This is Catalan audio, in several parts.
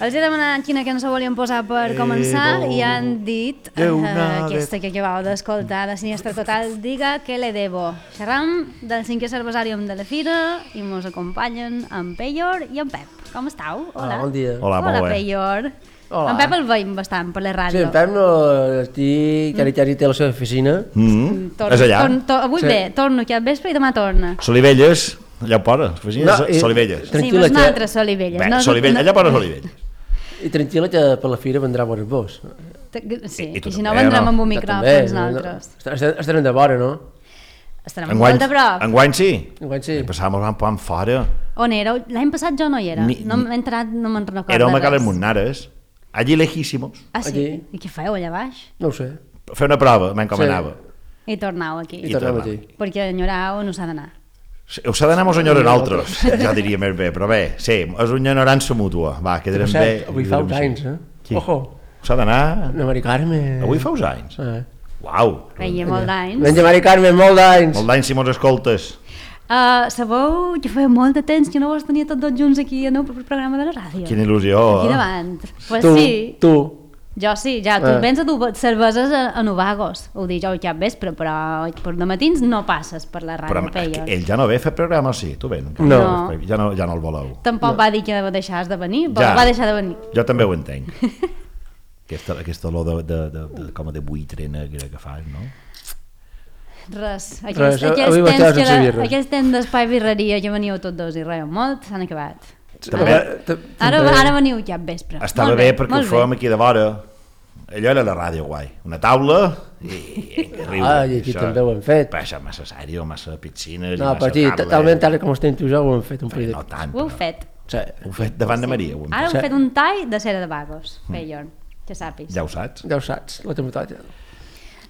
Els he demanat quina cançó volien posar per començar i han dit aquesta que acabau d'escoltar de Sinistre Total, Diga que le debo. Xerram del 5è Cervesàrium de la Fira i mos acompanyen en Peyor i en Pep. Com estàu? Hola, bon dia. Hola, Peyor. En Pep el veiem bastant per la ràdio. Sí, en Pep no estic... Cari té la seva oficina. És allà. Avui bé, torno aquí al vespre i demà torna. Solivelles, allà ho posa, Solivelles. Sí, però és una altra Solivelles. Bé, Solivelles, allà posa Solivelles. I tranquil·la que per la fira vendrà bones vos. Sí, i si no vendrem amb un micròfons nosaltres. Estarem de vora, no? Estarem molt de prop. Enguany sí. Enguany sí. Passàvem un poc fora. On éreu? L'any passat jo no hi era. No m'he entrat, no me'n recordo res. Érem a Cales Munnares, allí lejísimos. Ah, sí? I què fèieu allà baix? No ho sé. Fer una prova, m'encomanava. I tornau aquí. I tornem aquí. Perquè enyorau no s'ha d'anar. Us ha d'anar amb els enyorant altres, ja diria més bé, però bé, sí, és una ignorància mútua. Va, quedarem bé. Avui fa uns anys, Qui? Ojo. S'ha d'anar... No, Mari Carme. Avui fa uns anys? Uau. Feia molt d'anys. Menja Mari Carme, molt d'anys. Molt d'anys si mos escoltes. Sabeu que feia molt de temps que no vos tenia tots dos junts aquí en el programa de la ràdio. Quina il·lusió. Aquí davant. Pues tu, sí. Tu. Jo sí, ja, tu vens a dur cerveses a Novagos, ho dic jo cap vespre, però per de matins no passes per la ràdio, Peyor. Ell ja no ve a fer programa, sí, tu ven. No. Ja no el voleu. Tampoc va dir que deixàs de venir, però va deixar de venir. Jo també ho entenc. Aquesta olor com de buitre negra que fas, no? Res. Aquells temps d'espai birreria que veníeu tots dos i reiem molt, s'han acabat. Ara veniu cap vespre. Estava bé perquè ho fèiem aquí de vora. Allò era la ràdio guai. Una taula i riure. I aquí també ho hem fet. Això massa sèrio, massa piscines. No, però aquí, talment tal com estem tu jo, ho hem fet un parell de... No tant. Ho heu fet. Ho heu fet davant de Maria. Ara heu fet un tall de cera de Vagos, Peyor, que sàpis. Ja ho saps. Ja ho saps, la temperatura.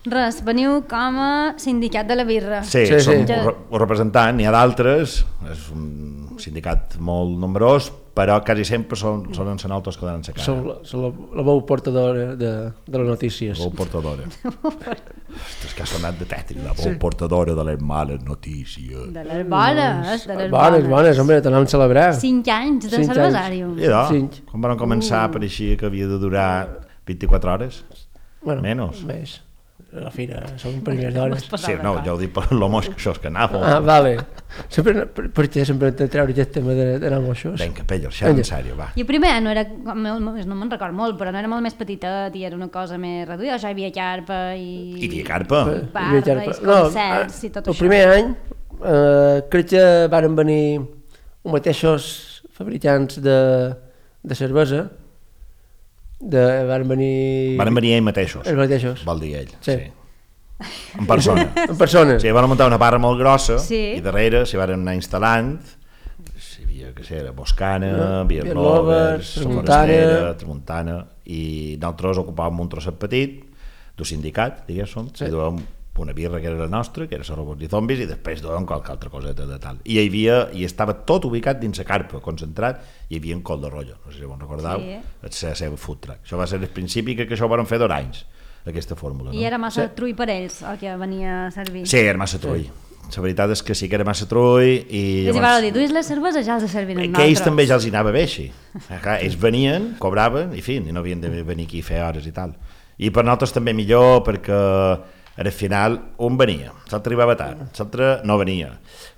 Res, veniu com a sindicat de la birra. Sí, som un representant, n'hi ha d'altres, és un sindicat molt nombrós, però quasi sempre són nosaltres que donen la cara. Som la veu portadora de les notícies. La veu portadora. Ostres, que ha sonat de tètric, la veu portadora de les males notícies. De les bones, de les bones. Bones, home, t'anem a celebrar. 5 anys de cervesàrium. Quan van començar pareixia que havia de durar 24 hores, menys. Més. A la fira, són primers d'hores. Sí, no, ja ho dic per l'homos que això és que anava. Ah, vale. Per què sempre hem de treure aquest tema d'anar amb això? Vinga, Peyor, xerra en sèrio, va. I primer no era, no me'n record molt, però no era molt més petitet i era una cosa més reduïda, ja hi havia carpa i... Hi havia carpa? Barra i concerts i tot això. El primer any crec que van venir uns mateixos fabricants de cervesa. Van venir ells mateixos. Els mateixos. Vol dir ell, sí. En persona. En persona. Sí, van muntar una barra molt grossa i darrere s'hi van anar instal·lant. Hi havia, què sé, Boscana, Beer Lovers, Tramuntana, i nosaltres ocupàvem un trosset petit d'un sindicat, diguéssim, i duem una birra que era la nostra, que era Robots i Zombis, i després duem qualque altra coseta de tal. I hi estava tot ubicat dins la carpa, concentrat, hi havia un col de rotllo, no sé si ho recordeu, la seva food truck. Això va ser el principi que això ho van fer 2 anys, aquesta fórmula. I era massa trull per ells, el que venia a servir? Sí, era massa trull. La veritat és que sí que era massa trull i... I si dir, duis les cerveses ja els servien amb nosaltres. Que ells també ja els hi anava bé així. Ells venien, cobraven, i no havien de venir aquí a fer hores i tal. I per nosaltres també millor perquè al final un venia, l'altre arribava tard, l'altre no venia,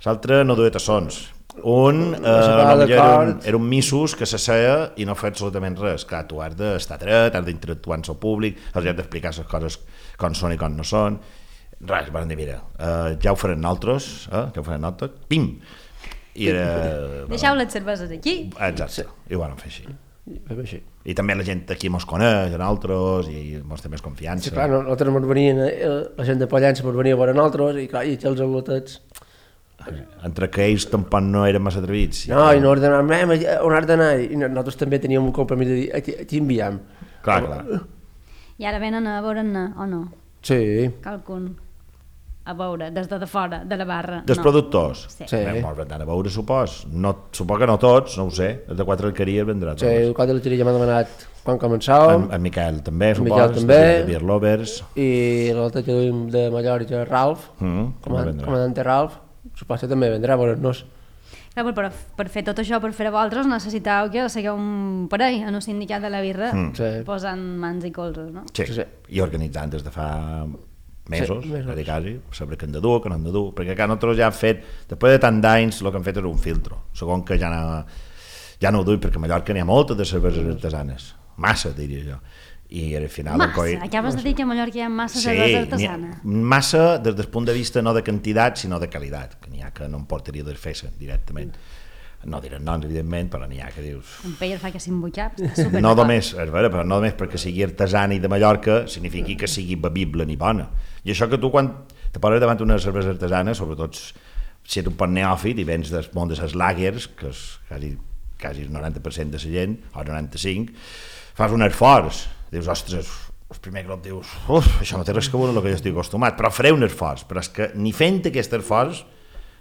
l'altre no duia tassons, era un missus que s'asseia i no feia absolutament res. Clar, tu has d'estar dret, has d'interactuar amb el públic, els has d'explicar les coses com són i com no són. Res, van dir, mira, ja ho farem nosaltres, pim! Deixeu les cerveses aquí. Exacte, i ho van fer així. I també la gent aquí mos coneix, nosaltres, i mos té més confiança. Sí, clar, nosaltres mos venien, la gent de Pollença mos venia a veure nosaltres, i clar, i els aglotets... Entre que ells tampoc no eren massa atrevits. No, i no ordenàvem, on has d'anar? I nosaltres també teníem un compromís de dir, aquí enviem. Clar. I ara venen a veure'n o no? Sí. Qualcun a veure, des de fora, de la barra. Dels productors? Sí. Molt ben a veure, supos que no tots, no ho sé, els de 4 alqueries vendrà tots. Sí, el 4 alqueries ja m'ha demanat quan començàvem. En Miquel també, supos, de Beer Lovers. I l'altre que duim de Mallorca, Ralf, comandante Ralf, supos que també vendrà a veure'ns. Per fer tot això, per fer a vosaltres, necessiteu que sigueu un parell en un sindicat de la birra, posant mans i colzes, no? Sí, i organitzant des de fa mesos, quasi, saber que hem de dur, que no hem de dur, perquè nosaltres ja hem fet, després de tant d'anys, el que hem fet és un filtro, segon que ja no ho duim, perquè a Mallorca n'hi ha moltes de cerveses artesanes, massa, diria jo. I al final acabes de dir que a Mallorca hi ha massa cervesa artesana. Massa des del punt de vista no de quantitat sinó de qualitat, que n'hi ha que no em portaria de fer-se directament, no diré noms evidentment, però n'hi ha que dius en Peyer fa que s'embutxap no només, és vera, però no només perquè sigui artesana i de Mallorca signifiqui que sigui bevible ni bona, i això que tu quan te poses davant una cervesa artesana, sobretot si ets un poc neòfit i vens del món de les lagers, que és quasi el 90% de la gent, o el 95%, fas un esforç, dius, ostres, el primer cop dius, això no té res que veure amb el que jo estic acostumat, però faré un esforç, però és que ni fent aquest esforç,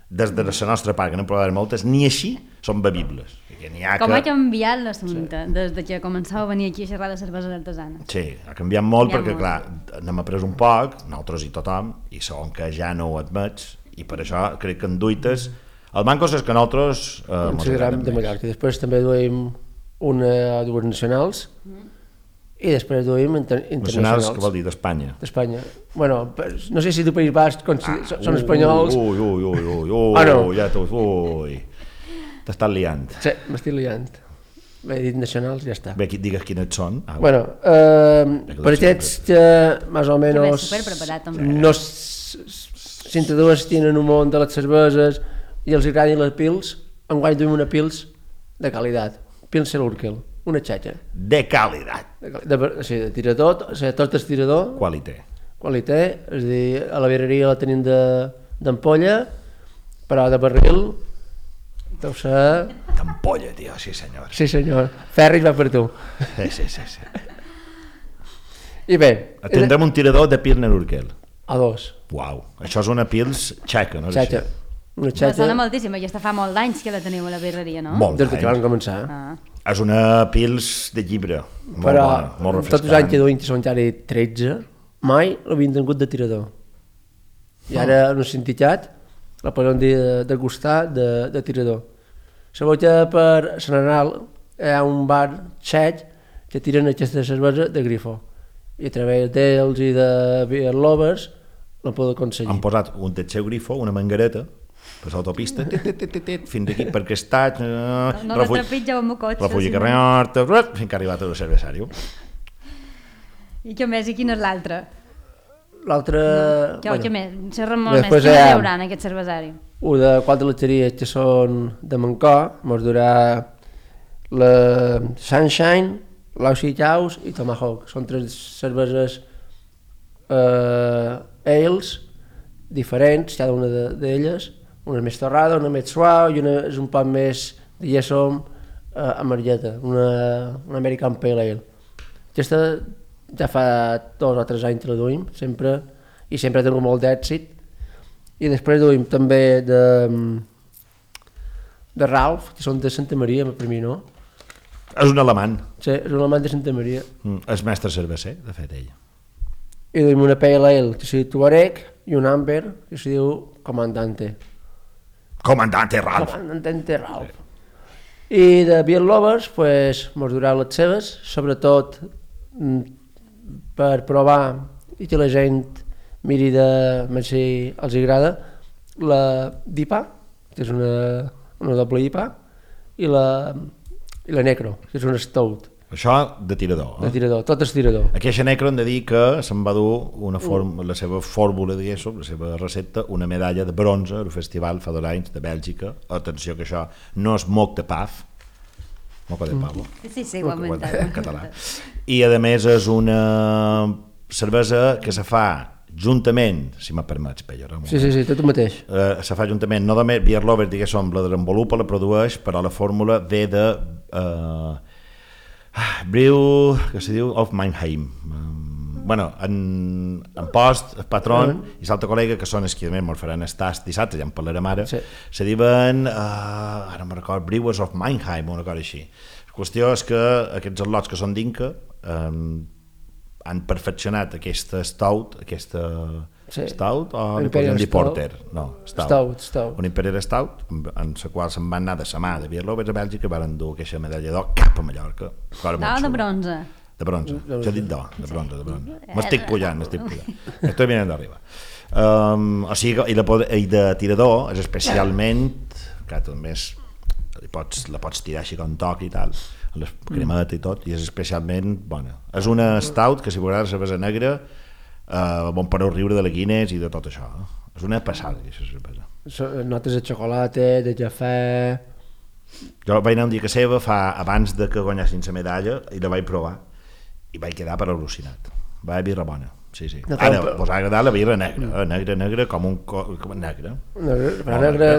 des de la nostra part, que n'hem provat moltes, ni així són bevibles. Com ha canviat l'assumpte des que començava a venir aquí a xerrar de cerveses artesanes? Sí, ha canviat molt perquè, clar, n'hem après un poc, nosaltres i tothom, i segon que ja no ho admets, i per això crec que en duites, el manco és que nosaltres considerem de Mallorca, i després també duim dues nacionals, i després duim internacionals. Què vol dir, d'Espanya? D'Espanya. Bueno, no sé si del País Basc són espanyols. Ja t'estàs liant. Sí, m'estic liant. He dit nacionals, ja està. Bé, digues quines són. Bueno, per aquests que més o menys no s'introdueixen en un món de les cerveses i els agradin les pils, enguany duim una pils de qualitat. Pilsen Urquell. Una xatxa. De qualitat. Sí, de tirador, o sigui, tot és tirador. Qualité. Qualité, és a dir, a la birreria la tenim d'ampolla, però de barril deu ser... D'ampolla, tio, sí senyor. Sí senyor, Ferris va per tu. Sí. I bé... Tindrem un tirador de Pilsner Urquell. A dos. Uau, això és una pils txeca, no? Xatxa. Una xatxa... Sona moltíssim, aquesta fa molt d'anys que la teniu a la birreria, no? Molt d'anys. Des que vam començar. És una pils de llibre, molt però bona, molt refrescant. Tots els anys que duim, que són ja 13, mai l'havien tingut de tirador. I ara en un sindicat la podem dir de gustar de tirador. Sabeu que per Sant Anal hi ha un bar txec que tiren aquesta cervesa de grifo. I a través d'ells i de Beer Lovers la podeu aconseguir. Han posat un del seu grifo, una mangareta, per l'autopista, fins aquí per aquest no la trepitja amb el cotxe. Refugi carrer Horta, fins que ha arribat al cervesari. I què més? I quin és l'altre? L'altre... Què més? Xerrem molt més. Què hi haurà en aquest cervesari? Un de quatre letxeries que són de Mancor, mos durà la Sunshine, l'Oxy Chaus i Tomahawk. Són tres cerveses ales diferents, cada una d'elles. Una és més torrada, una més suau i una és un poc més, diguéssim, amargeta, una American Pale Ale. Aquesta ja fa 2 o 3 anys que la duim, sempre, i sempre ha tingut molt d'èxit. I després duim també de Ralph, que són de Santa Maria, per mi no. És un alemany. Sí, és un alemany de Santa Maria. És mestre cerveser, de fet, ell. I duim una Pale Ale que se diu Tuareg i un Amber que se diu Comandante. Comandante Ralph. Comandante Ralph. I de Beer Lovers, pues, mos durà les seves, sobretot per provar i que la gent miri de si els agrada, la d'IPA, que és una doble IPA, i la Necro, que és una Stout. Això de tirador. De tirador, tot és tirador. Aquesta Necro hem de dir que se'n va dur la seva fórmula, diguéssim, la seva recepta, una medalla de bronze al festival fa 2 anys de Bèlgica. Atenció que això no és moc de paf, moca de pavo. Sí, igualment. En català. I a més és una cervesa que se fa juntament, si me permets, Peller. Sí, tot el mateix. Se fa juntament, no només Beer Lover, diguéssim, la desenvolupa, la produeix, però la fórmula ve de brew, que se diu of Mannheim. Bueno, en post, el patron i l'altre col·lega, que són els que me'n faran el tast dissabte, ja en parlarem ara, se diuen, ara no me'n record, Brewers of Mannheim, una cosa així. La qüestió és que aquests al·lots que són d'Inca han perfeccionat aquesta stout, aquesta Stout o li podríem dir Porter? No, Stout. Un Imperial Stout, en la qual se'n van anar de sa mà de Beer Lovers a Bèlgica, van dur aquesta medalla d'or cap a Mallorca. De bronze. De bronze, ja he dit d'or, de bronze. M'estic pujant. Estoy bien d'arriba. O sigui, i de tirador és especialment, que també la pots tirar així com toc i tal, amb les cremetes i tot, i és especialment bona. És una stout que si m'agrada la cervesa negra bon per riure de la Guinness i de tot això. És una passada, aquesta cervesa. Notes de xocolata, de cafè... Jo vaig anar un dia a seva abans de que guanyessin la medalla i la vaig provar i vaig quedar per al·lucinat. Va haver birra bona, sí. Ara, vos ha agradat la birra negra com un... Negra. Però negra...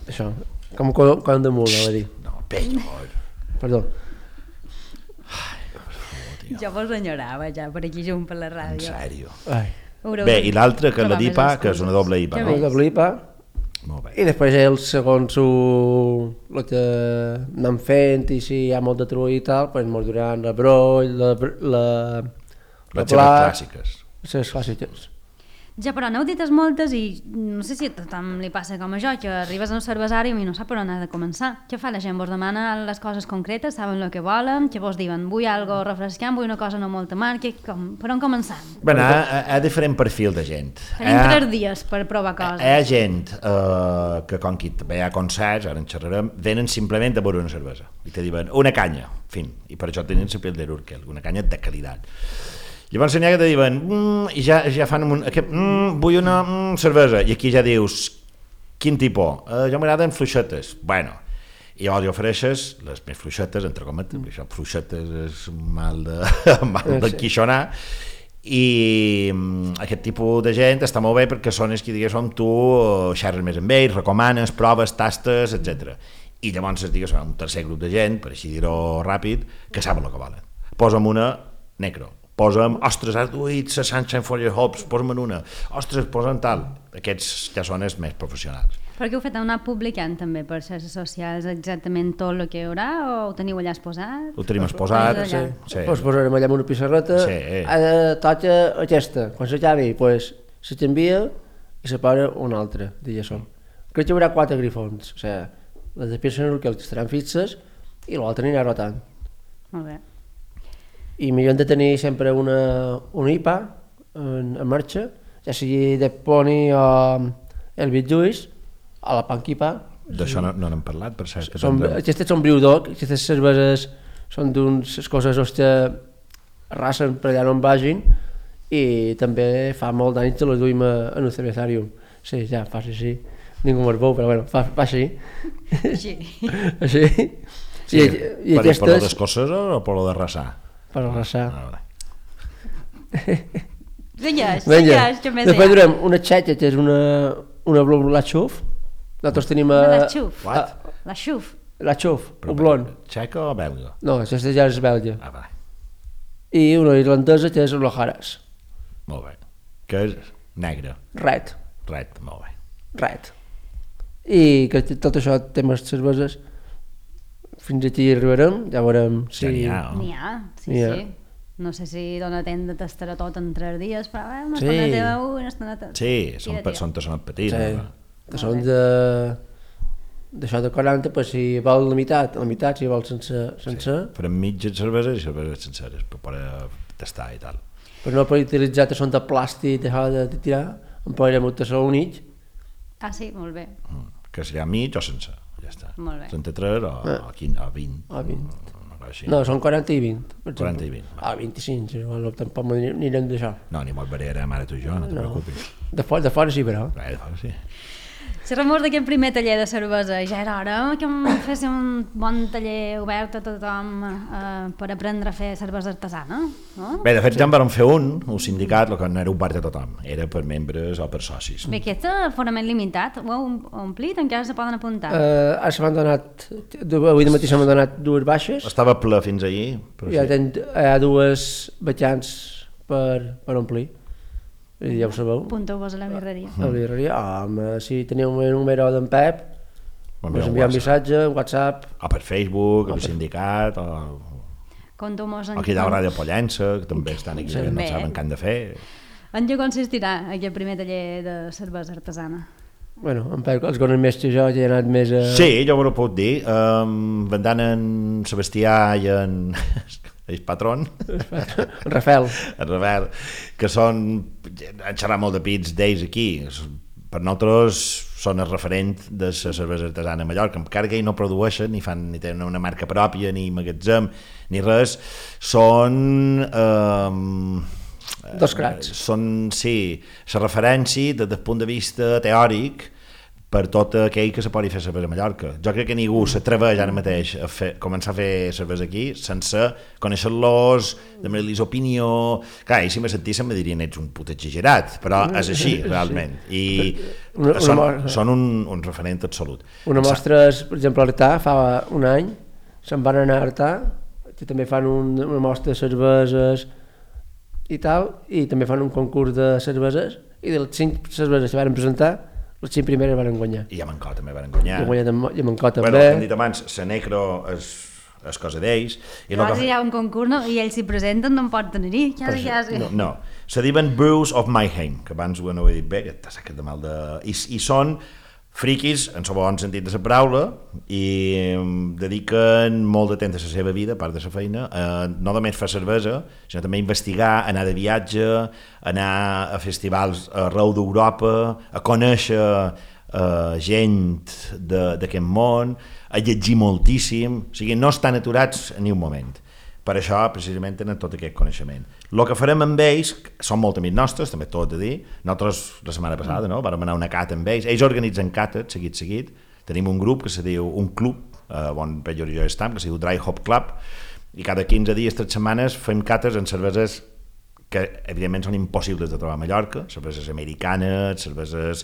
Això, com un de mula, va dir. No, pell. Perdó. Jo vos enyorava ja per aquí junt per la ràdio. En sèrio? Bé, i l'altra que és la d'IPA, que és una doble IPA, no? Una doble IPA. Molt bé. I després ells, segons el que anem fent i si hi ha molt de trull i tal, doncs ens duran la broll, les clàssiques. Les clàssiques. Ja, però n'heu dites moltes i no sé si a tothom li passa com a jo, que arribes a un cervesari i no sap per on ha de començar. Què fa la gent? Vos demana les coses concretes, saben el que volen, que vos diuen vull algo refrescant, vull una cosa no molta marca, per on començar? Bé, hi ha diferent perfil de gent. Tenim 3 dies per provar coses. Hi ha gent que com que hi ha concerts, ara en xerrarem, venen simplement a beure una cervesa i te diuen una canya, fin, i per això tenen la pell de l'Urkel, una canya de qualitat. Llavors n'hi ha que te diuen i ja fan vull una cervesa, i aquí ja dius quin tipus? Jo m'agraden fluixetes. Bueno, i llavors ofereixes les més fluixetes, entre cometes, això fluixetes és mal d'enquixonar, i aquest tipus de gent està molt bé perquè són els que diguéssim tu xerres més amb ells, recomanes, proves, tastes, etc. I llavors diguéssim un tercer grup de gent, per així dir-ho ràpid, que saben el que volen. Posa'm una necro, posa'm, ostres, has duit la Sunshine for your Hopes, posa'm en una, ostres, posa'm tal. Aquests ja són els més professionals. Perquè heu fet anar publicant també per xarxes socials exactament tot el que hi haurà o ho teniu allà exposat? Ho tenim exposat, sí. Pues posarem allà una pissarreta, toca aquesta, quan s'acabi, pues se t'envia i se posa una altra, diguéssim. Crec que hi haurà 4 grifons, o sigui, les de Pilsner que estaran fixes i l'altre anirà rotant. Molt bé. I millor hem de tenir sempre una IPA en marxa, ja sigui de Pony o el Bitjuïs, a la Punk IPA. D'això no n'hem parlat, per cert. Aquestes són Brewdog, aquestes cerveses són d'unes coses que arrasen per allà on vagin i també fa molt d'anys que les duim en un cervesarium. Sí, ja, fa així. Ningú me'l veu, però bueno, fa així. Així. Així. Sí, per lo d'escocès o per lo de rassar? Per arrasar. Digues, que més després durem una txeca, que és una blond la xuf. Nosaltres tenim la xuf. La xuf. La xuf, un blond. Txeca o belga? No, aquesta ja és belga. Va. I una irlandesa que és l'Ojaras. Molt bé. Que és negra. Red, molt bé. Red. I que tot això, temes cerveses, fins aquí arribarem, ja veurem si... Ja n'hi ha, sí. No sé si dona temps de tastar tot en 3 dies, però una estoneta una estoneta... Sí, són tassones petits. Tassons d'això de 40, pues, si vol la meitat, si vol sense... Farem mitges cerveses i cerveses senceres per poder tastar i tal. Però no per utilitzar tassons de plàstic de tirar, en podrem un tassó únic. Ah, sí, molt bé. Que serà mig o sense. Ja està. Molt bé. 33 o 20. O 20. No, són 40 i 20. 40 i 20. 25, tampoc anirem d'això. No, ni molt variarem ara tu i jo, no te preocupis. De fora sí, però. De fora sí. Xerrem d'aquest primer taller de cervesa, ja era hora que féssim un bon taller obert a tothom per aprendre a fer cervesa artesana, no? Bé, de fet ja en vam fer un sindicat, el que no era obert a tothom, era per membres o per socis. Bé, aquest aforament limitat, ho heu omplit? Encara se poden apuntar? Ara se m'han donat, avui de matí se m'han donat 2 baixes. Estava ple fins ahir. Hi ha 2 vacants per omplir. Ja ho sabeu. Apunteu-vos a la birreria. A la birreria, si teniu un número d'en Pep, ens envia un missatge, un WhatsApp. O per Facebook, o per sindicat, Conteu-mos aquí hi ha Ràdio Pollença, que també estan aquí, que no saben què han de fer. En què consistirà aquest primer taller de cervesa artesana? Bueno, en Pep, els coneix més que jo, ja he anat més a... Sí, jo ho puc dir. Vendant en Sebastià i en... el patrón. En Rafael. En Rafael, que són... Han xerrat molt de pits d'ells aquí. Per nosaltres són el referent de la cervesa artesana a Mallorca, encara que ells no produeixen, ni tenen una marca pròpia, ni magatzem, ni res. Són... Dos cracs. Són, sí, la referència des del punt de vista teòric per tot aquell que se pugui fer cervesa a Mallorca. Jo crec que ningú s'atreveix ara mateix a començar a fer cervesa aquí sense conèixer-los, demanar-los opinió... Clar, si me sentís me dirien ets un puto exagerat, però és així, realment. I són un referent absolut. Una mostra és, per exemple, a Artà, fa un any, se'n van anar a Artà, que també fan una mostra de cerveses i tal, i també fan un concurs de cerveses, i de les 5 cerveses que van presentar, les 5 primeres van guanyar. I a Mancó també van guanyar. I a Mancó també. Bueno, com hem dit abans, la Necro és cosa d'ells. Però si hi ha un concurs i ells s'hi presenten, no en pot tenir-hi. No. Se diuen Brews of Mayhem, que abans no ho he dit bé, que t'ha sacat de mal de... I són friquis, en el bon sentit de la paraula, i dediquen molt de temps a la seva vida, a part de la feina, no només fer cervesa, sinó també investigar, anar de viatge, anar a festivals arreu d'Europa, a conèixer gent d'aquest món, a llegir moltíssim, o sigui, no estan aturats ni un moment. Per això, precisament, tenen tot aquest coneixement. El que farem amb ells, són molt amics nostres, també tot de dir, nosaltres la setmana passada vam anar a una cata amb ells organitzen cates, seguit, tenim un grup que se diu, un club, on Pedro i jo estem, que se diu Dry Hop Club, i cada 15 dies, 3 setmanes, fem cates en cerveses que, evidentment, són impossibles de trobar a Mallorca, cerveses americanes, cerveses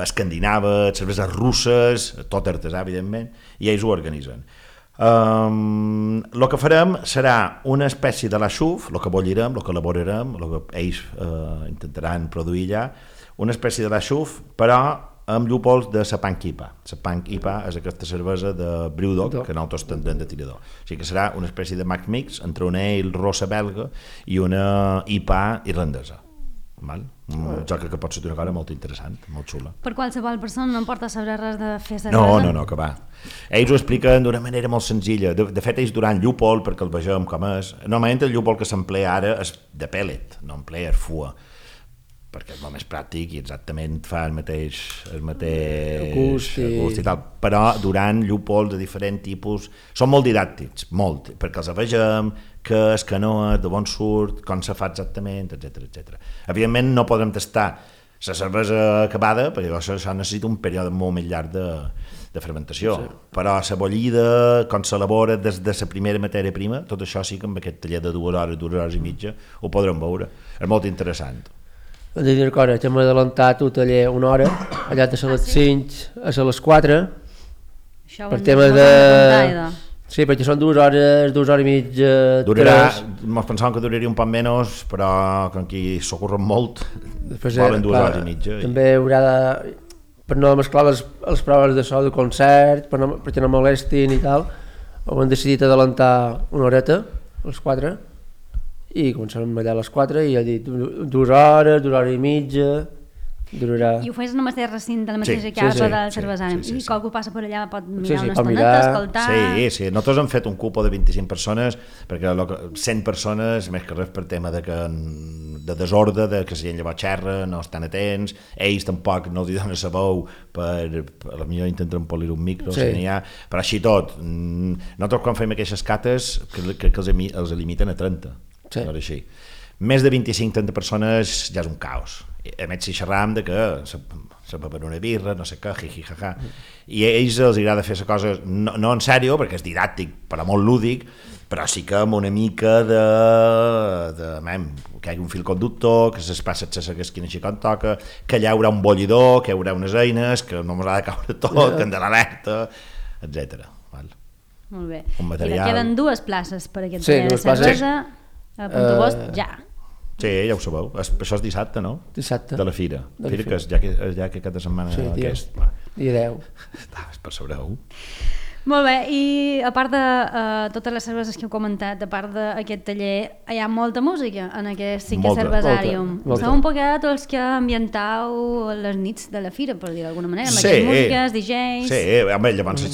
escandinaves, cerveses russes, tot artesà, evidentment, i ells ho organitzen. El que farem serà una espècie de la xuf, el que bollirem, el que elaborarem, el que ells intentaran produir allà, una espècie de la xuf, però amb llúpols de la Punk IPA. La Punk IPA és aquesta cervesa de Brewdog que nosaltres tendrem de tirador. O sigui que serà una espècie de Mac Mix entre una ale rossa belga i una IPA irlandesa. Jo crec que pot ser una cosa molt interessant, molt xula. Per qualsevol persona no em porta a saber res de fer cervesa? No, que va. Ells ho expliquen d'una manera molt senzilla. De fet, ells duran llúpol, perquè el vegem com és. Normalment el llúpol que s'emplea ara és de pellet, no emplea fua, perquè és molt més pràctic i exactament fa el mateix gust i tal. Però durant llúpols de diferent tipus són molt didàctics, molt, perquè els vegem, què és, que no és, de on surt, com se fa exactament, etc. Evidentment no podem tastar la cervesa acabada, perquè això necessita un període molt més llarg de fermentació, però la bollida, com s'elabora des de la primera matèria prima, tot això sí que amb aquest taller de 2 hores i mitja ho podrem veure. És molt interessant. Hem de dir una cosa, que hem adelantat un taller una hora, allà de les 5 a les 4, per temes de... Sí, perquè són 2 hores i mitja, 3... Ens pensàvem que duraria un poc menys, però com que s'ocorren molt, volen 2 hores i mitja. També haurà de... Per no mesclar les proves de so de concert, perquè no molestin i tal, ho hem decidit adelantar una horeta, a les 4, i començarem allà a les 4, i ha dit 2 hores i mitja... Durarà... I ho fes en el mateix recinte, de la mateixa casa del cervesari. I qualcú passa per allà pot mirar una estoneta, escoltar... Sí, nosaltres hem fet un cupo de 25 persones, perquè 100 persones, més que res per tema de desordre, de que si llavors xerra, no estan atents, ells tampoc no els donen la veu, potser intenten polir un micro, si n'hi ha, però així tot. Nosaltres quan fem aquestes cates, crec que els limiten a 30, així. Més de 25-30 persones ja és un caos. A més si xerram de que se beuen una birra, no sé què, jaja. I a ells els agrada fer la cosa, no en sèrio, perquè és didàctic, però molt lúdic, però sí que amb una mica de que hi hagi un fil conductor, que es passa a saber quina així com toca, que allà hi haurà un bollidor, que hi haurà unes eines, que no ens ha de caure tot, que hem de l'alerta, etc. Molt bé. I queden 2 places per aquest taller de cervesa, a Puntagós, ja. Sí, ja ho sabeu. Això és dissabte, no? Dissabte. De la fira. Fira que és ja que cada setmana aquest. Dia 10. Per saber-ho. Molt bé, i a part de totes les cerveses que heu comentat, a part d'aquest taller, hi ha molta música en aquest cinquè cervesàrium. Sou un poquet els que ambientau les nits de la fira, per dir d'alguna manera, amb aquestes músiques, DJs... Sí, home, llavors...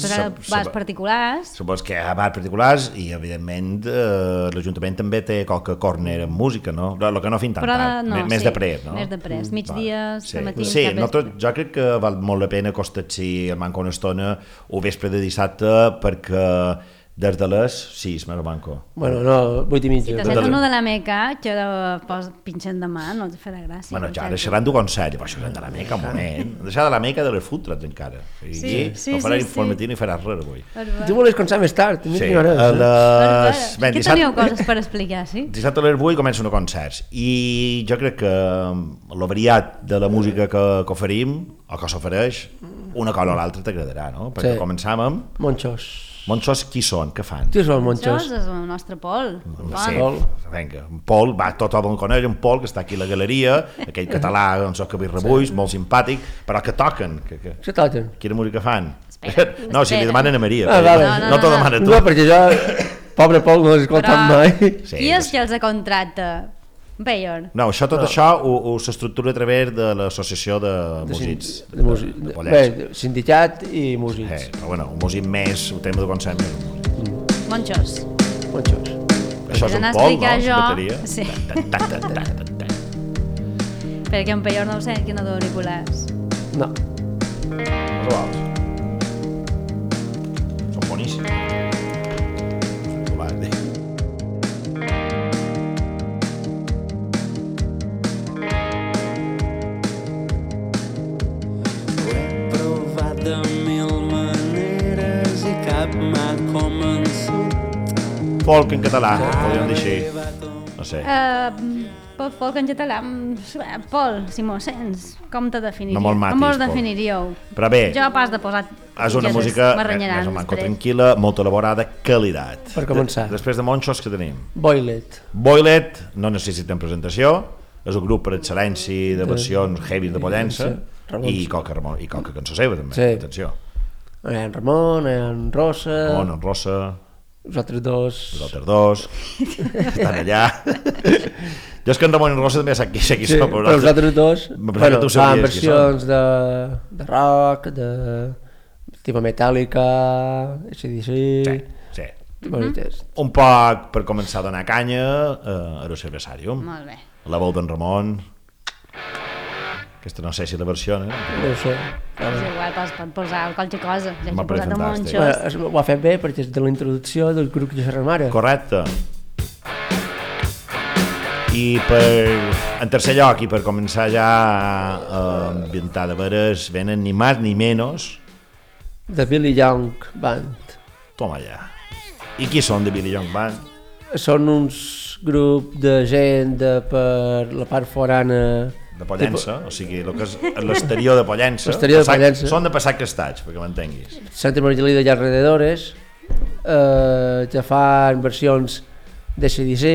Bars particulars. Supos que hi ha bars particulars i, evidentment, l'Ajuntament també té qualque corner amb música, no? El que no fin tant tard, més després, no? Més després, migdies, matins, sí, jo crec que val molt la pena acostar-s'hi a manca una estona o vespre de dissabte perquè des de les 6 més o manco. Bueno, no, 8:30. Si t'has fet uno de la Meca, que pinxen demà, no et farà gràcia. Bueno, ja ara xerran d'un concert, però xerran de la Meca, un moment. Deixar de la Meca de les food trucks encara. Sí. No farà informatiu ni faràs res avui. Tu volies començar més tard. Sí, que teníeu coses per explicar, sí? Dissabte a les 8 comencen els concerts i jo crec que el variat de la música que oferim, o que s'ofereix, una cosa o l'altra t'agradarà, no? Perquè començam amb... Monxos. Monxos qui són? Què fan? Qui són els monxos? És el nostre Pol. Sí, vinga, Pol, tothom coneix un Pol que està aquí a la galeria, aquell català, doncs, que ve rebuix, molt simpàtic, però que toquen. Què toquen? Quina música fan? No, si li demanen a Maria. No t'ho demana tu. No, perquè jo, pobre Pol, no l'he escoltat mai. Qui és que els contracta? Bayor. No, tot això s'estructura a través de l'associació de músics de Pollença. Bé, sindicat i músics. Però bueno, un músic més, el tema de concert més. Monxos. Això és un Pol, no? Bateria. Sí. Perquè en Bayor no ho sé, que no d'auriculars. No. Són boníssims. De mil maneres i cap m'ha convençut. Folk en català, podríem dir així. No sé. Folk en català. Pol, si m'ho sents, com te definiríeu? No molt matis, com vos definiríeu? Però bé, jo pas de posar és una música més o manco tranquil·la, molt elaborada, qualitat. Per començar. Després de Monxos, què tenim? Boylet. Boylet, no necessiten presentació, és un grup per excel·lència de versions heavy de Pollença, i qualque cançó seva també, atenció. Hi ha en Ramon, hi ha en Rosa... Ramon, en Rosa... Els altres dos... estan allà. Jo és que en Ramon i en Rosa també sé qui són, però els altres dos fan versions de rock, de tipus Metallica, AC/DC... Sí. Un poc per començar a donar canya a l'Cervesàrium. Molt bé. La veu d'en Ramon... Aquesta no sé si la versió, No ho sé. És igual, pot posar qualque cosa. Ja he posat a Monxos. Ho ha fet bé perquè és de la introducció del grup que ja ara. Correcte. I en tercer lloc, i per començar ja a ambientar de veres, venen ni més ni menys The Billy Young Band. Toma ja. I qui són The Billy Young Band? Són uns grup de gent per la part forana de Pollença, o sigui, el que és l'exterior de Pollença. Són de passar crestats, perquè m'entenguis. Santa Margalida i alrededores, que fan versions de CDC.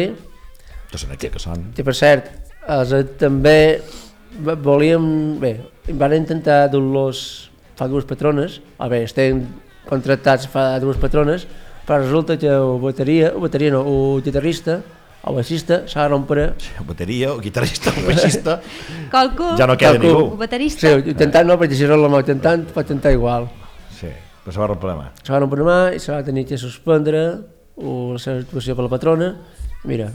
Que són aquí que són. Que per cert, també volíem... Bé, van intentar dur-los fa dues patrones, estem contractats fa dues patrones, però resulta que el guitarrista, el baixista s'ha de rompre... El bateria, el guitarrista, el baixista... Qualcú. Ja no queda ningú. El baterista. Sí, intentant no, perquè si no la mà intentant, pot tentar igual. Sí, però se va rompre la mà. Se va rompre la mà i se va tenir que suspendre la seva actuació per la patrona. Mira,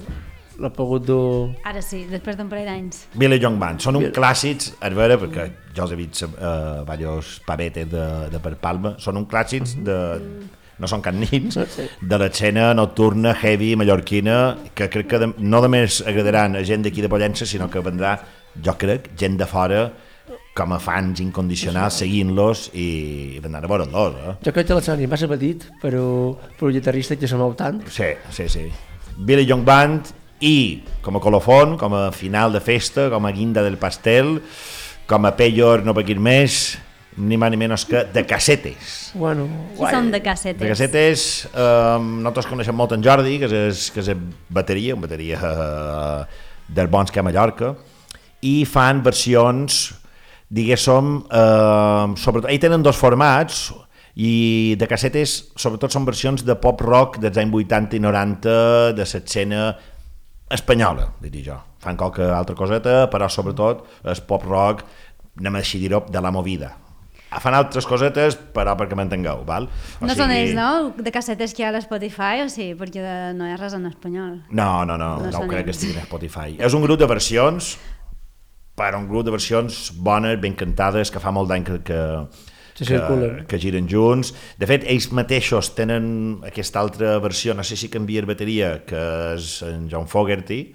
l'ha pogut dur... Ara sí, després d'un parell d'anys. Billy Young Band, són uns clàssics, a veure, perquè jo els he vist diversos pavetes de per Palma, són uns clàssics de... no són cap nins, de l'escena nocturna, heavy, mallorquina, que crec que no només agradaran a gent d'aquí de Pollença, sinó que vendrà, jo crec, gent de fora com a fans incondicionals, seguint-los i vendran a veure'ls. Jo crec que l'escenari va ser petit, però el guitarrista que se mou tant. Sí. Billy Young Band i com a colofon, com a final de festa, com a guinda del pastel, com a payor, no per aquí més, ni més ni menys que de Casetes. Bueno, qui són de Casetes? De Casetes, nosaltres coneixem molt en Jordi, que és bateria, una bateria dels bons que a Mallorca, i fan versions, diguéssim, sobretot, ells tenen dos formats, I de cassetes, sobretot són versions de pop-rock dels anys 80 i 90 de l'escena espanyola, diria jo. Fan qualque altra coseta, però sobretot és pop-rock, anem a dir-ho, de la movida. Fan altres cosetes, però perquè m'entengueu, val? No són ells, no? De cassetes que hi ha a l'Spotify, o sí? Perquè no hi ha res en espanyol. No crec que estiguin a Spotify. És un grup de versions, però un grup de versions bones, ben cantades, que fa molt d'any que giren junts. De fet, ells mateixos tenen aquesta altra versió, no sé si canvia bateria, que és en John Fogerty,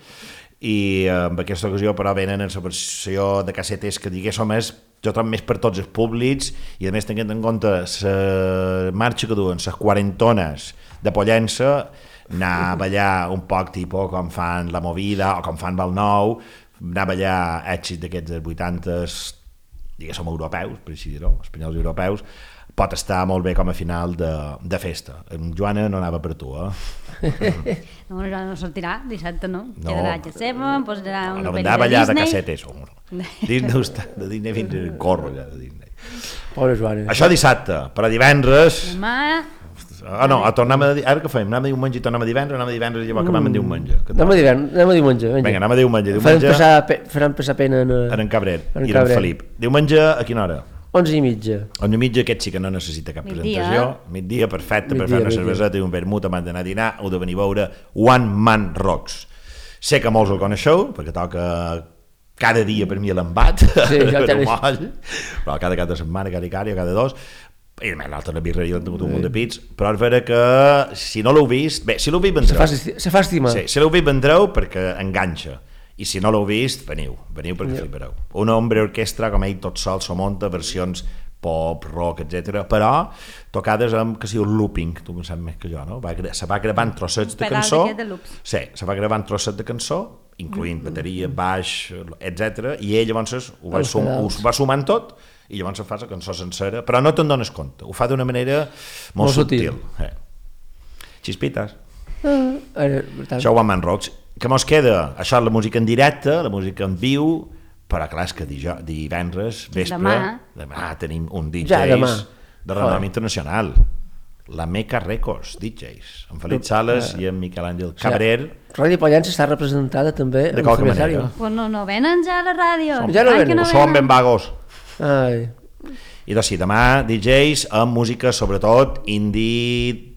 i en aquesta ocasió però venen en la versió de cassetes que diguéssim és jo trobo més per tots els públics i a més tenint en compte la marxa que duen, les quarentones de Pollença, anar a ballar un poc tipus com fan La Movida o com fan Val Nou, anar a ballar èxits d'aquests dels 80s, diguéssim europeus, per així dir-ho, espanyols europeus, pot estar molt bé com a final de festa. En Joana no anava per tu, No, no sortirà, dissabte no. Quedarà a Jacema, posarà una pel·li de Disney. Anar a ballar de cassetes, de Disney fins a corro ja de Disney. Pobre Joana. Això dissabte, però divendres... Demà... tornem a dir... Ara què fem? Anem a diumenge i tornem a divendres i llavors acabem en diumenge. Anem a diumenge. Vinga, anem a diumenge. Faran passar pena en Cabrer i en Felip. Diumenge a quina hora? 11:30. 11:30, aquest sí que no necessita cap presentació. Migdia, perfecte, per fer una cerveseta i un vermut abans d'anar a dinar, heu de venir a veure One Man Rocks. Sé que molts el coneixeu, perquè toca cada dia per mi a l'embat, però cada cap de setmana, cada dos, i a més l'altre la birreria han tingut un munt de pits, però és vera que si no l'heu vist, bé, si l'heu vist vendreu. Se fa estimar. Sí, si l'heu vist vendreu perquè enganxa. I si no l'heu vist, veniu perquè flipareu. Una ombra orquestra, com ell tot sol s'ho munta, versions pop, rock, etc. però tocades amb, que sigui un looping, tu en saps més que jo, no? Se va gravant trossets de cançó, sí, se va gravant trossets de cançó, incloent bateria, baix, etc. i ell llavors ho va sumant tot i llavors fa la cançó sencera, però no te'n dones compte, ho fa d'una manera molt subtil. Xispites. Això One Man Rocks. Què mos queda? Això és la música en directe, la música en viu, però clar, és que divendres, vespre, demà tenim un DJs de renom internacional, la Meca Records DJs, amb Felip Sales i amb Miquel Àngel Cabrer. Ràdio Pollença està representada també de qualque manera. Pues no venen ja a la ràdio. Som ben vagos. I doncs sí, demà DJs amb música sobretot indie,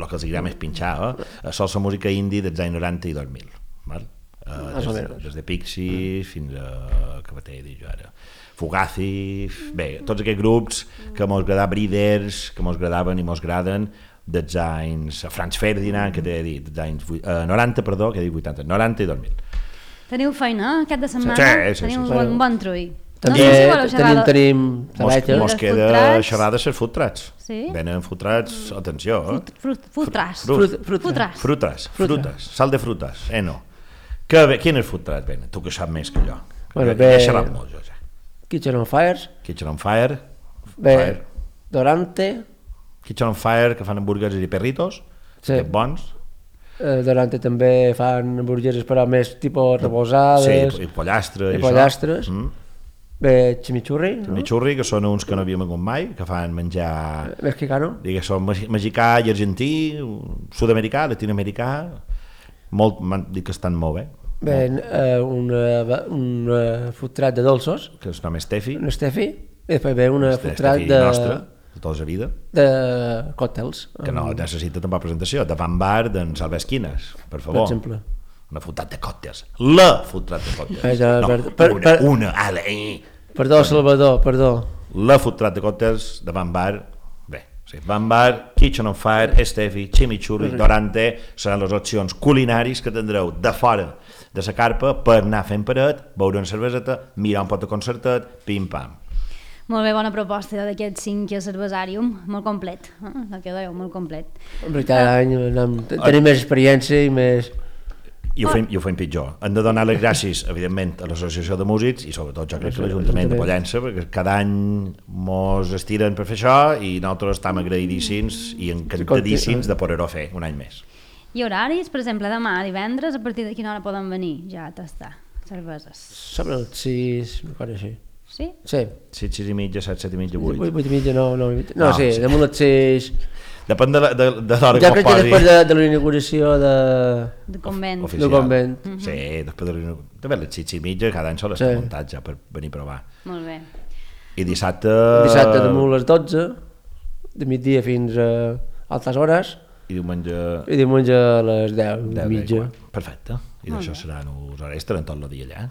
el que els agrada més pinxar, sol la música indie dels anys 90 i 2000, des de Pixies fins a què va dir jo ara, Fugazi, bé, tots aquests grups que mos agradaven, Breeders, que mos agradaven i mos agraden dels anys Franz Ferdinand, que t'he dit, dels anys 90, perdó, que he dit 80, 90 i 2000. Teniu feina aquest de setmana? Teniu un bon trull. Tenim mos queda xerrar de ser food trucks. Venen food trucks, atenció. Frutes, sal de frutes, no. Quines food trucks venen? Tu que saps més que jo. He xerrat molt jo ja. Kitchen on Fire. Dorante. Kitchen on Fire, que fan hamburgueses i perritos, bons. Dorante també fan hamburgueses però més tipus reposades. Sí, i pollastres. Bé, chimichurri, que són uns que no havíem begut mai, que fan menjar mexicano, són mexicà i argentí, sud-americà, latinoamericà, m'han dit que estan molt bé. Un food truck de dolços, que es nom Steffi, i després ve una food truck de tota la vida, de còctels, que no necessita tampoc presentació, de Van Bar, d'en Salva Esquines, per favor, per exemple. Una food truck de còctels, la food truck de còctels, perdó Salvador, perdó, la food truck de còctels de Van Bar. Van Bar, Kitchen on Fire, Steffi, Chimichurri, Dorante seran les opcions culinaris que tindreu de fora de la carpa per anar fent paret, beure una cerveseta, mirar un pot de concertet, pim-pam. Molt bé, bona proposta d'aquest 5 cervesàrium, molt complet, el que dèieu, molt complet. Cada any tenim més experiència i més... I ho fem pitjor. Hem de donar les gràcies, evidentment, a l'Associació de Músics i sobretot jo crec que l'Ajuntament de Pollença, perquè cada any mos estiren per fer això i nosaltres estem agraïdíssims i encantadíssims de poder-ho fer un any més. I horaris, per exemple, demà, divendres, a partir de quina hora poden venir ja a tastar cerveses? Sobre les 6, una cosa així. Sí? Sí. 6 i mitja, 7 i mitja, 8. 8 i mitja, no, sí, damunt les 6... Depèn de l'hora que jo crec que després de la inauguració de convent. De convent. Sí, després de l'inauguració. També les 6 i mitja, cada any sol estar muntat ja per venir a provar. Molt bé. I dissabte... Dissabte damunt les 12, de migdia fins a altes hores. I diumenge... I diumenge a les 10 i mitja. Perfecte. I d'això seran uns hores, estaran tot el dia allà.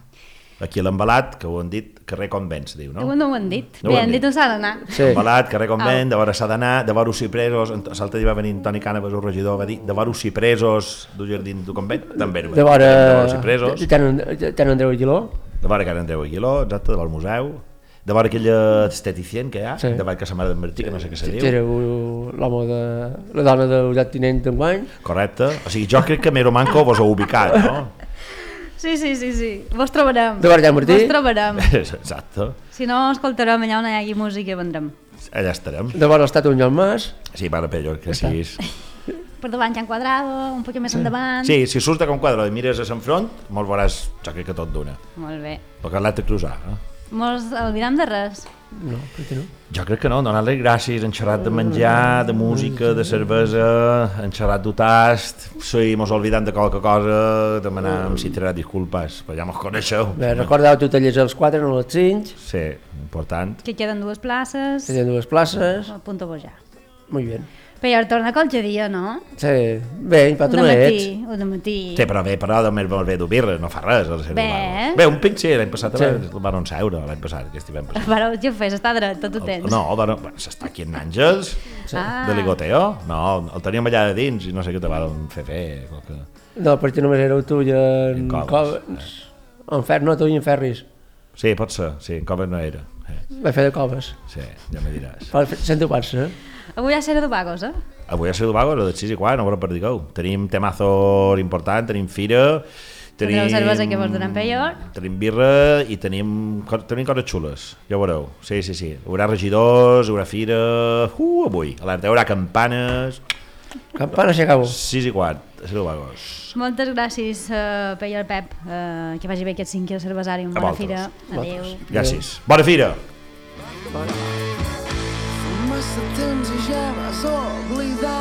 Aquí a l'Embalat, que ho han dit, carrer Convent, se diu, no? No ho han dit. Bé, han dit on s'ha d'anar. Sí. Embalat, carrer Convent, de vora s'ha d'anar, de vora Cipresos, l'altre dia va venir Toni Cànovas, el regidor, va dir, de vora Cipresos, del jardí del Convent, també. De vora Cipresos. Can Andreu Aguiló. De vora Can Andreu Aguiló, exacte, de vora el museu. De vora aquella esteticient que hi ha, de vora Casa Mare d'en Martí, que no sé què se diu. Era l'home de... la dona del tinent d'enguany. Correcte. O sigui, jo crec que Mero Manco vos heu ubicat, no? Sí. Vos trobarem. De vora Can Martí. Vos trobarem. Exacte. Si no, escoltarem allà on hi hagi música i vendrem. Allà estarem. De vora l'Estat Unió Mas. Sí, para Pello, que sí. Per davant Can Quadrado, un poc més endavant. Sí, si surts de Can Quadrado i mires a Sant Front, molt veuràs, jo crec que tot d'una. Molt bé. Perquè l'ha de cruzar, Mos oblidam de res? No, crec que no. Jo crec que no, donar-li gràcies, han xerrat de menjar, de música, de cervesa, han xerrat d'un tast, si mos oblidam de qualque cosa, demanam si tirarà disculpes, però ja mos coneixeu. Bé, recordeu tu tallers als 4, no als 5. Sí, important. Que queden 2 places. Queden 2 places. Apunto-vos ja. Muy bien. Però torna qualque dia, no? Sí, bé, però tu no ets. Un matí. Sí, però més bé d'ho birra, no fa res. Bé, un pinc sí, l'any passat el van seure, l'any passat, aquest hivern passat. Però què ho fes, està dret, tot ho tens. No, s'està aquí en Àngels, de ligoteo. No, el teníem allà de dins i no sé què te van fer. No, perquè només éreu tu i en Coves. No, tu i en Ferris. Sí, pot ser, sí, en Coves no era. Va fer de Coves. Sí, ja me diràs. Sento pas, Avui a Sera de Vagos, Avui a Sera de Vagos, a les 6 i quart, no ho perdigueu. Tenim temazos important, tenim fira, tenim cervesa que vos donem pellor. Tenim birra i tenim coses xules, ja ho veureu. Sí. Hi haurà regidors, hi haurà fira... avui. A l'Arte hi haurà campanes... Campanes i acabo. 6 i quart, a Sera de Vagos. Moltes gràcies, Pellor Pep, que vagi bé aquest 5è cervesari. Bona fira. Adéu. Gràcies. Bona fira. Massa temps i ja vas oblidar